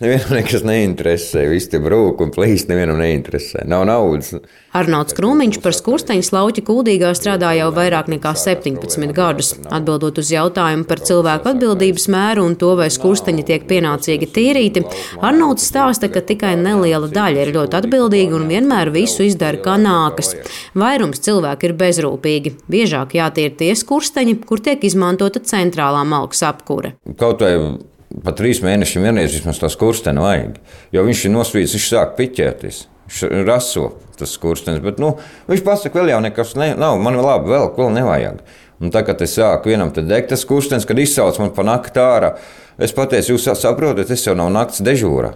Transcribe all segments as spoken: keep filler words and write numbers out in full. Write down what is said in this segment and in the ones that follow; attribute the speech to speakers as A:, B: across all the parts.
A: Nevienam nekas neinteresē, visi tie brūk un plīst, nevienam neinteresē. Nav naudas.
B: Arnolds Krūmiņš par Skursteņas lauķi Kuldīgā strādā jau vairāk nekā septiņpadsmit gadus. Atbildot uz jautājumu par cilvēku atbildības mēru un to, vai Skursteņi tiek pienācīgi tīrīti, Arnolds stāsta, ka tikai neliela daļa ir ļoti atbildīga un vienmēr visu izdara kā nākas. Vairums cilvēku ir bezrūpīgi. Biežāk jātīra tie Skursteņi, kur tiek izmantota centrālā malkas apkure.
A: Kaut vai pat trīs mēnešiem vienreiz vismaz tā skursteni vajag, jo viņš ir nosvīdis, viņš sāk piķēties, viņš raso tas skurstenis, bet nu, viņš pasaka, vēl jau nekas ne, nav, man vēl labi, vēl, vēl nevajag. Un tā, kad es sāku vienam te degt tas skurstenis, kad izsauc man pa nakti ārā, es pateicu, jūs saprotat, es jau nav nakts dežūra.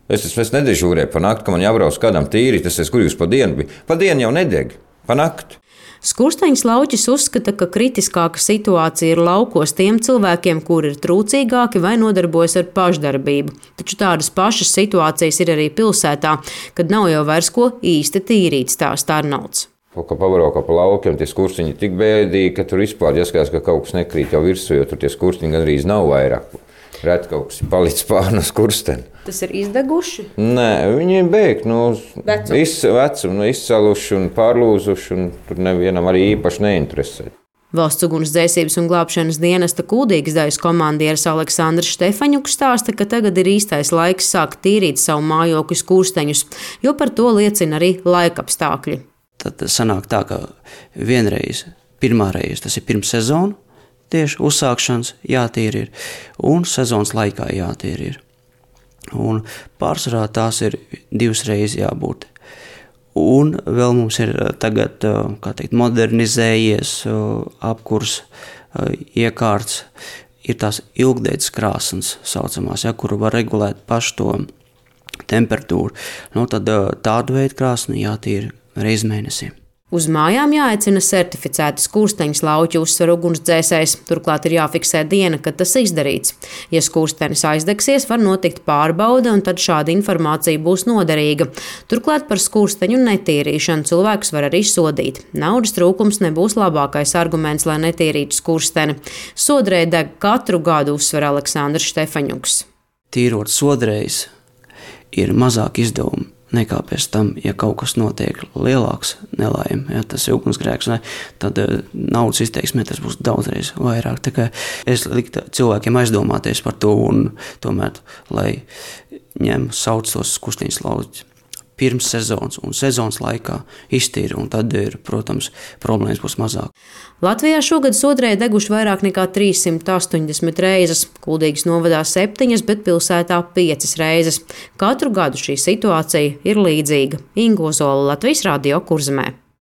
A: Es, es, es nedežūrēju pa nakti, ka man jābrauc kādam tīrīt, es esmu, kur jūs pa dienu bija. Pa dienu jau nedeg, pa nakti.
B: Skursteņas lauķis uzskata, ka kritiskāka situācija ir laukos tiem cilvēkiem, kuri ir trūcīgāki vai nodarbojas ar pašdarbību. Taču tādas pašas situācijas ir arī pilsētā, kad nav jau vairs ko īsti tīrīt, stāsta Arnolds.
A: Kaut kā pavarokā pa laukiem, tie skursteņi ir tik bēdīgi, ka tur vispār jāskatās, ka kaut kas nekrīt jau virsū, jo tur tie skursteņi gandrīz nav vairāk. Reti kaut kas ir palicis pār no skursteni.
B: Tas ir izdeguši?
A: Nē, viņi ir beigti, nu, iz, vecumu, izsaluši un pārlūzuši, un tur nevienam arī īpaši neinteresē.
B: Valsts ugunsdzēsības un glābšanas dienesta Kuldīgas daļas komandieris Aleksandrs Štefaņuks stāsta, ka tagad ir īstais laiks sākt tīrīt savu mājokļu skursteņus, jo par to liecina arī laikapstākļi.
C: Tad sanāk tā, ka vienreiz, pirmā reize, tas ir pirms sezonu, tieši uzsākšanas jātīra ir, un sezonas laikā jātīra ir. Un pārsvarā tās ir divas reizes jābūt. Un vēl mums ir tagad, kā teikt, modernizējies apkurs, iekārts, ir tās ilgdeitas krāsnes saucamās, ja, kuru var regulēt pašu to temperatūru. Nu, tad tādu veidu krāsni jātīra reiz mēnesī.
B: Uz mājām jāaicina certificēti skursteņas lauķi, uzsver ugunsdzēsējs. Turklāt ir jāfiksē diena, kad tas izdarīts. Ja skurstenis aizdegsies, var notikt pārbaude, un tad šāda informācija būs noderīga. Turklāt par skursteņu netīrīšanu cilvēkus var arī sodīt. Naudas trūkums nebūs labākais arguments, lai netīrītu skursteni. Sodrēji deg katru gadu, uzsver Aleksandrs Štefaņuks.
C: Tīrot sodrējus ir mazāk izdevumu nekā pēc tam, ja kaut kas notiek lielāks nelaime, ja tas ir ugunsgrēks, ne, tad naudas izteiksmē tas būs daudzreiz vairāk. Tā kā es liktu cilvēkiem aizdomāties par to un tomēr, lai ņem sauc tos skursteņas lauķus pirms sezonas un sezonas laikā iztīra, un tad, ir, protams, problēmas būs mazāk.
B: Latvijā šogad sodrēji deguši vairāk nekā trīssimt astoņdesmit reizes, Kuldīgas novadā septiņas, bet pilsētā piecas reizes. Katru gadu šī situācija ir līdzīga. Inga Ozola, Latvijas radio Kurzemē.